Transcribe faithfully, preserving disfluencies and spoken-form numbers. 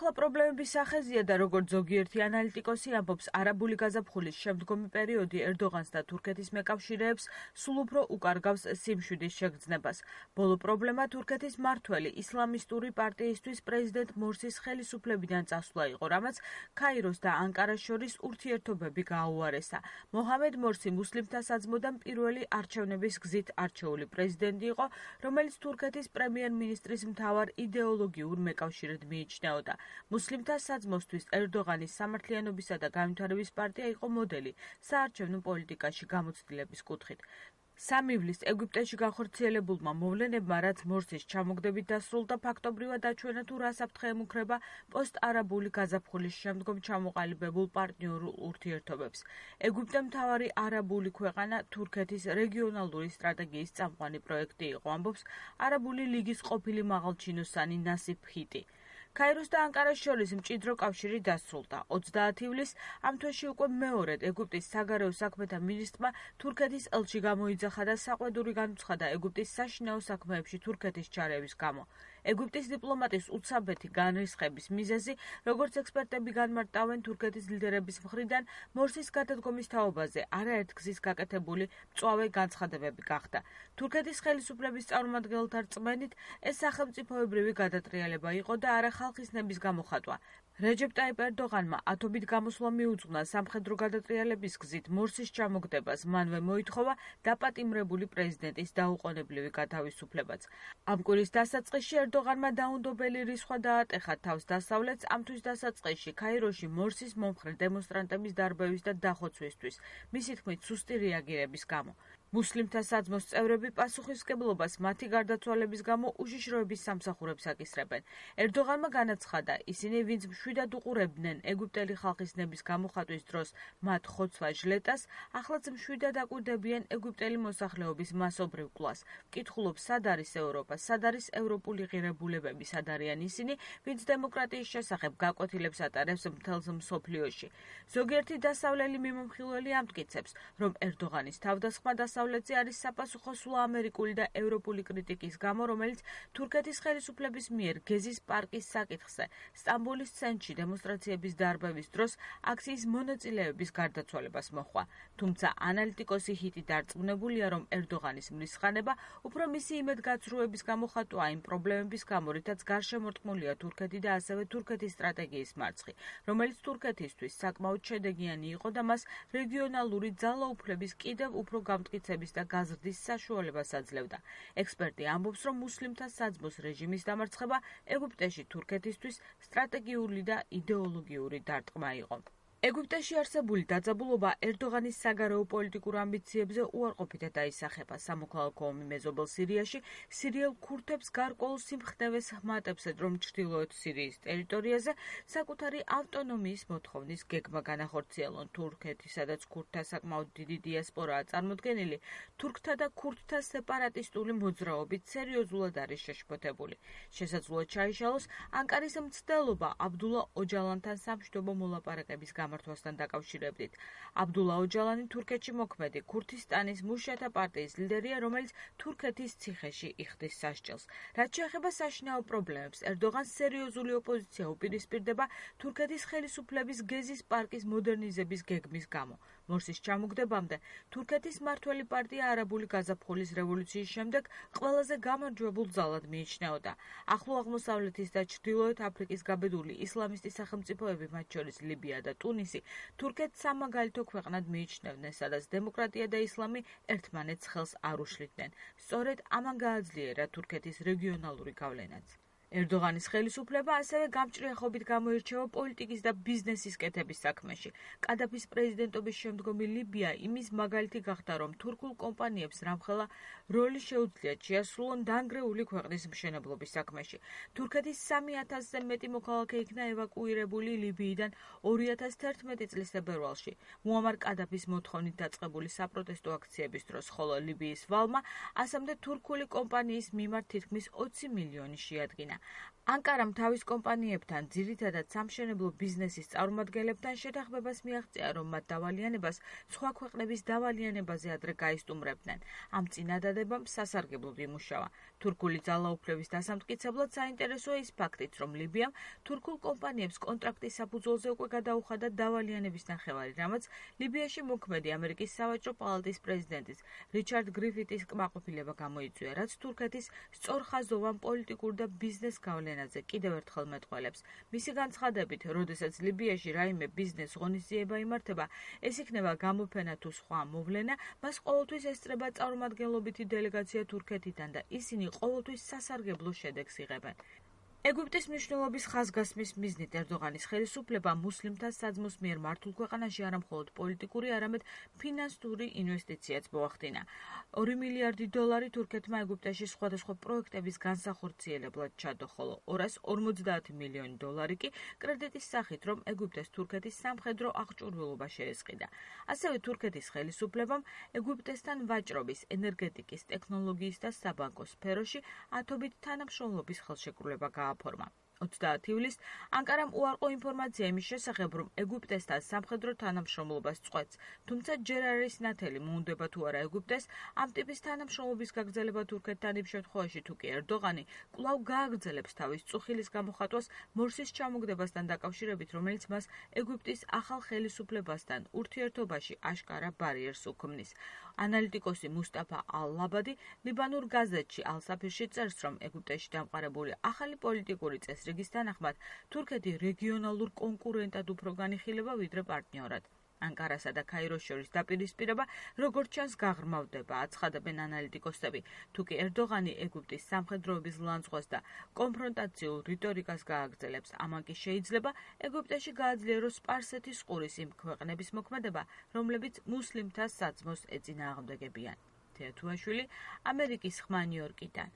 ახლა პრობლემების სახეზია და როგორც ზოგიერთი ანალიტიკოსი ამბობს, არაბული გაზაფხულის შემდგომი პერიოდი ერდოღანს და თურქეთის მეკავშირეებს სულ უფრო უკარგავს სიმშვიდის შეგრძნებას. ბოლო პრობლემა თურქეთის მმართველი ისლამისტური პარტიისთვის პრეზიდენტ მორსის ხელისუფლებიდან წასვლა იყო, რამაც ქაიროს და ანკარას შორის ურთიერთობები გააუარესა. მოჰამედ მორსი მუსლიმთა საძმოდან პირველი არჩევნების გზით არჩეული პრეზიდენტი იყო, რომელიც თურქეთის პრემიერ-მინისტრის მთავარ იდეოლოგიურ მეკავშირედ მიიჩნეოდა. მუსლიმთა საძმოსთვის ერდოღანის სამართლიანობისა და განვითარების პარტია იყო მოდელი საარჩევნო პოლიტიკაში გამოცდილების კუთხით. სამ ივლისს ეგვიპტეში განხორციელებულმა მოვლენებმა, რაც მორსის ჩამოგდებით დასრულდა, ფაქტობრივად აჩვენა თუ რა საფრთხე ემუქრება პოსტ-არაბული გაზაფხულის შემდგომ ჩამოყალიბებულ პარტნიორულ ურთიერთობებს. ეგვიპტე მთავარი არაბული ქვეყანა თურქეთის რეგიონალური სტრატეგიის წამყვანი პროექტი იყო, ამბობს არაბული ლიგის ყოფილი მაღალჩინოსანი ნასიფ ჰიტი. ქაიროს და ანკარას შორის მჭიდრო კავშირი დასრულდა. ოცდაათი ივლისს ამ თვეში უკვე მეორედ ეგვიპტის საგარეო საქმეთა მინისტრმა თურქეთის ელჩი გამოიძახა და საყვედური განუცხადა ეგვიპტის საშინაო საქმეებში თურქეთის ჩარევის გამო. ეგვიპტის დიპლომატის უცაბეთი განრისხების მიზეზი, როგორც ექსპერტები განმარტავენ თურქეთის ლიდერების მხრიდან, მორსის გადადგომის თაობაზე არაერთგზის გაკეთებული მწვავე განცხადებები გახდა. თურქეთის ხელისუფლების წარმომადგენელთა რწმენით, ეს სახელმწიფოებრივი გადატრიალება იყო და არა ხალხის ნების გამოხატვა. რეჯეპ ტაიპ ერდოღანმა ათობით გამოსვლა მიუძღვნა სამხედრო გადატრიალების გზით მორსის ჩამოგდებას, მანვე მოითხოვა დაპატიმრებული პრეზიდენტის დაუყოვნებლივი გათავისუფლებაც. ამ კვირის დასაწყისში ერდოღანმა დაუნდობელი რისხვა დაატეხა თავს დასავლეთს, ამთვის დასაწყისში ქაიროში მორსის მომხრე დემონსტრანტების დარბევის და დახოცვისთვის, მისი თქმით სუსტი რეაგირების გამო. მუსლიმთა საძმოს წევრები პასუხისმგებლობას მათი გარდაცვალების გამო უშიშროების სამსახურებს აკისრებენ. ერდოღანმა განაცხადა, ისინი ვინც მშვიდად უყურებდნენ ეგვიპტელი ხალხის ნების გამოხატვის დროს მათ ხოცვა ჟლეტას, ახლაც მშვიდად აკვირდებიან ეგვიპტელი მოსახლეობის მასობრივ კვლას. ვკითხულობ, სად არის ევროპა, სად არის ევროპული ღირებულებები, სად არიან ისინი, ვინც დემოკრატიის შესახებ გაკვეთილებს ატარებს მთელს მსოფლიოში. ზოგიერთი დასავლელი მიმომხილველი ამტკიცებს, რომ ერდოღანის თავდასხმა დასავლეთზე არის საფასუხო სულ ამერიკული და ევროპული კრიტიკის გამო, რომელიც თურქეთის ხელისუფლების მიერ გეზის პარკის საკითხზე სტამბოლის ცენტრში დემონსტრაციების დარბევის დროს აქციის მონაწილეების გარდაცვალებას მოჰყვა. თუმცა ანალიტიკოსი ჰიტი დარწმუნებულია, რომ ერდოღანის მრისხანება უფრო მისი იმედგაცრუების გამოხატვაა იმ პრობლემების გამო, რითაც გარშემორტყმულია თურქეთი და ასევე თურქეთის სტრატეგიის მარცხი, რომელიც თურქეთისთვის საკმაოდ შედეგიანი იყო და მას რეგიონალური ძალაუფლების კიდევ უფრო გამტკიცების და გაზრდის საშუალებას აძლევდა. ექსპერტი ამბობს, რომ მუსლიმთა საძმოს რეჟიმის დამარცხება ეგვიპტეში თურქეთისთვის სტრატეგიული და იდეოლოგიური დარტყმა იყო. ეგვიპტეში არსებული დაძაბულობა ერდოღანის საგარეო პოლიტიკურ ამბიციებზე უარყოფითად აისახება. სამოქალაქო ომი მეზობელ სირიაში სირიელ ქურთებს გარკვეულ სიმხნევეს ჰმატებს, რომ ჩრდილოეთ სირიის ტერიტორიაზე საკუთარი ავტონომიის მოთხოვნის გეგმა განახორციელონ. თურქეთი, სადაც ქურთთა საკმაოდ დიდი დიასპორაა წარმოდგენილი, თურქთა და ქურთთა სეპარატისტული მოძრაობით სერიოზულად არის შეშფოთებული. შესაძლოა ჩაიშალოს ანკარის მცდელობა აბდულა ოჯალანთან სამშვიდობო მოლაპარაკების გამართვასთან დაკავშირებით. აბდულა ოჯალანი თურქეთში მოქმედი ქურთისტანის მუშათა პარტიის ლიდერია, რომელიც თურქეთის ციხეში იხდის სასჯელს. რაც შეეხება საშინაო პრობლემებს, ერდოღანს სერიოზული ოპოზიცია უპირისპირდება თურქეთის ხელისუფლების გეზის პარკის მოდერნიზების გეგმის გამო. მორსის ჩამოგდებამდე თურქეთის მმართველი პარტია არაბული გაზაფხულის რევოლუციის შემდეგ ყველაზე გამარჯვებულ ძალად მიიჩნეოდა. ახლო აღმოსავლეთის და ჩრდილოეთ აფრიკის გაბედული ისლამისტი სახელმწიფოები, მათ შორის ლიბია და ტუნისი, თურქეთს სამაგალითო ქვეყნად მიიჩნევდნენ, სადაც დემოკრატია და ისლამი ერთმანეთს ხელს არ უშლიდნენ. სწორედ ამან გააძლიერა თურქეთის რეგიონალური გავლენაც. ერდოღანის ხელისუფლება ასევე გამჭრიახობით გამოირჩევა პოლიტიკის და ბიზნესის კეთების საქმეში. კადაფის პრეზიდენტობის შემდგომი ლიბია იმის მაგალითი გახდა, რომ თურქულ კომპანიებს რამხელა როლი შეუძლიათ შეასრულონ დანგრეული ქვეყნის მშენებლობის საქმეში. თურქეთის სამი ათასზე მეტი მოქალაქე იქნა ევაკუირებული ლიბიიდან ორი ათას თერთმეტი წლის თებერვალში, მუამარ კადაფის მოთხოვნით დაწყებული საპროტესტო აქციების დროს, ხოლო ლიბიის ვალმა ასამდე თურქული კომპანიის მიმართ თითქმის ოცი მილიონი შეადგინა. ანკარამ თავის კომპანიებთან, ძირითადად სამშენებლო ბიზნესის წარმომადგენლებთან შეთანხმებას მიაღწია, რომ მათ დავალიანებას სხვა ქვეყნების დავალიანებაზე ადრე გაისტუმრებდნენ. ამ წინადადებამ სასარგებლოდ იმუშავა. თურქული ძალაუფლების დასამტკიცებლად საინტერესოა ის ფაქტიც, რომ ლიბიამ თურქულ კომპანიებს კონტრაქტის საფუძველზე უკვე გადაუხადა დავალიანების ნახევარი, რამაც ლიბიაში მოქმედი ამერიკის სავაჭრო პალატის პრეზიდენტის რიჩარდ გრიფითის კმაყოფილება გამოიწვია, რაც თურქეთის სწორხაზოვან პოლიტიკურ და ბიზნეს გავლენაზე კიდევ ერთხელ მეტყველებს. მისი განცხადებით, როდესაც ლიბიაში რაიმე ბიზნეს ღონისძიება იმართება, ეს იქნება გამოფენა თუ სხვა მოვლენა, მას ყოველთვის ესწრება წარმომადგენლობითი დელეგაცია თურქეთიდან და ისინი ყოველთვის სასარგებლო შედეგს იღებენ. ეგვიპტის მნიშვნელობის ხაზგასმის მიზნით ერდოღანის ხელისუფლება მუსლიმთა საძმოს მიერ მართულ ქვეყანაში არა მხოლოდ პოლიტიკური, არამედ ფინანსური ინვესტიციაც მოახდინა. ორი მილიარდი დოლარი თურქეთმა ეგვიპტეში სხვადასხვა პროექტების განსახორციელებლად ჩადო, ხოლო ორას ორმოცდაათი მილიონი დოლარი კი კრედიტის სახით, რომ ეგვიპტეს თურქეთის სამხედრო აღჭურვილობა შეესყიდა. ასევე თურქეთის ხელისუფლებამ ეგვიპტესთან ვაჭრობის, ენერგეტიკის, ტექნოლოგიის და საბანკო სფეროში ათობით თანამშრომლობის ხელშეკრულება გააფორმა. ოცდაათი ივლისს ანკარამ უარყო ინფორმაცია იმის შესახებ, რომ ეგვიპტესთან სამხედრო თანამშრომლობას წყვეტს, თუმცა ჯერ არ არის ნათელი, მოუნდება თუ არა ეგვიპტეს ამ ტიპის თანამშრომლობის გაგრძელება თურქეთთან იმ შემთხვევაში, თუ კი ერდოღანი კვლავ გააგრძელებს თავის წუხილის გამოხატვას მორსის ჩამოგდებასთან დაკავშირებით, რომელიც მას ეგვიპტის ახალ ხელისუფლებასთან ურთიერთობაში აშკარა ბარიერს უქმნის. ანალიტიკოსი მუსტაფა ალ-ლაბადი ლიბანურ გაზეთში ალ-საფირში წერს, რომ ეგვიპტეში დამყარებული ახალი პოლიტიკური წესრიგის თანახმად თურქეთი რეგიონალურ კონკურენტად უფრო განიხილება ვიდრე პარტნიორად. ანკარასა და ქაიროს შორის დაპირისპირება როგორც ჩანს გაღრმავდება, აცხადებენ ანალიტიკოსები. თუკი ერდოღანი ეგვიპტის სამხედროების ლანძღვას და კონფრონტაციულ რიტორიკას გააგრძელებს, ამან კი შეიძლება ეგვიპტეში გააძლიეროს სპარსეთის ყურის იმ ქვეყნების მოქმედება, რომლებიც მუსლიმთა საძმოს ეწინააღმდეგებიან. თეათუაშვილი, ამერიკის ხმა, ნიუ-იორკიდან.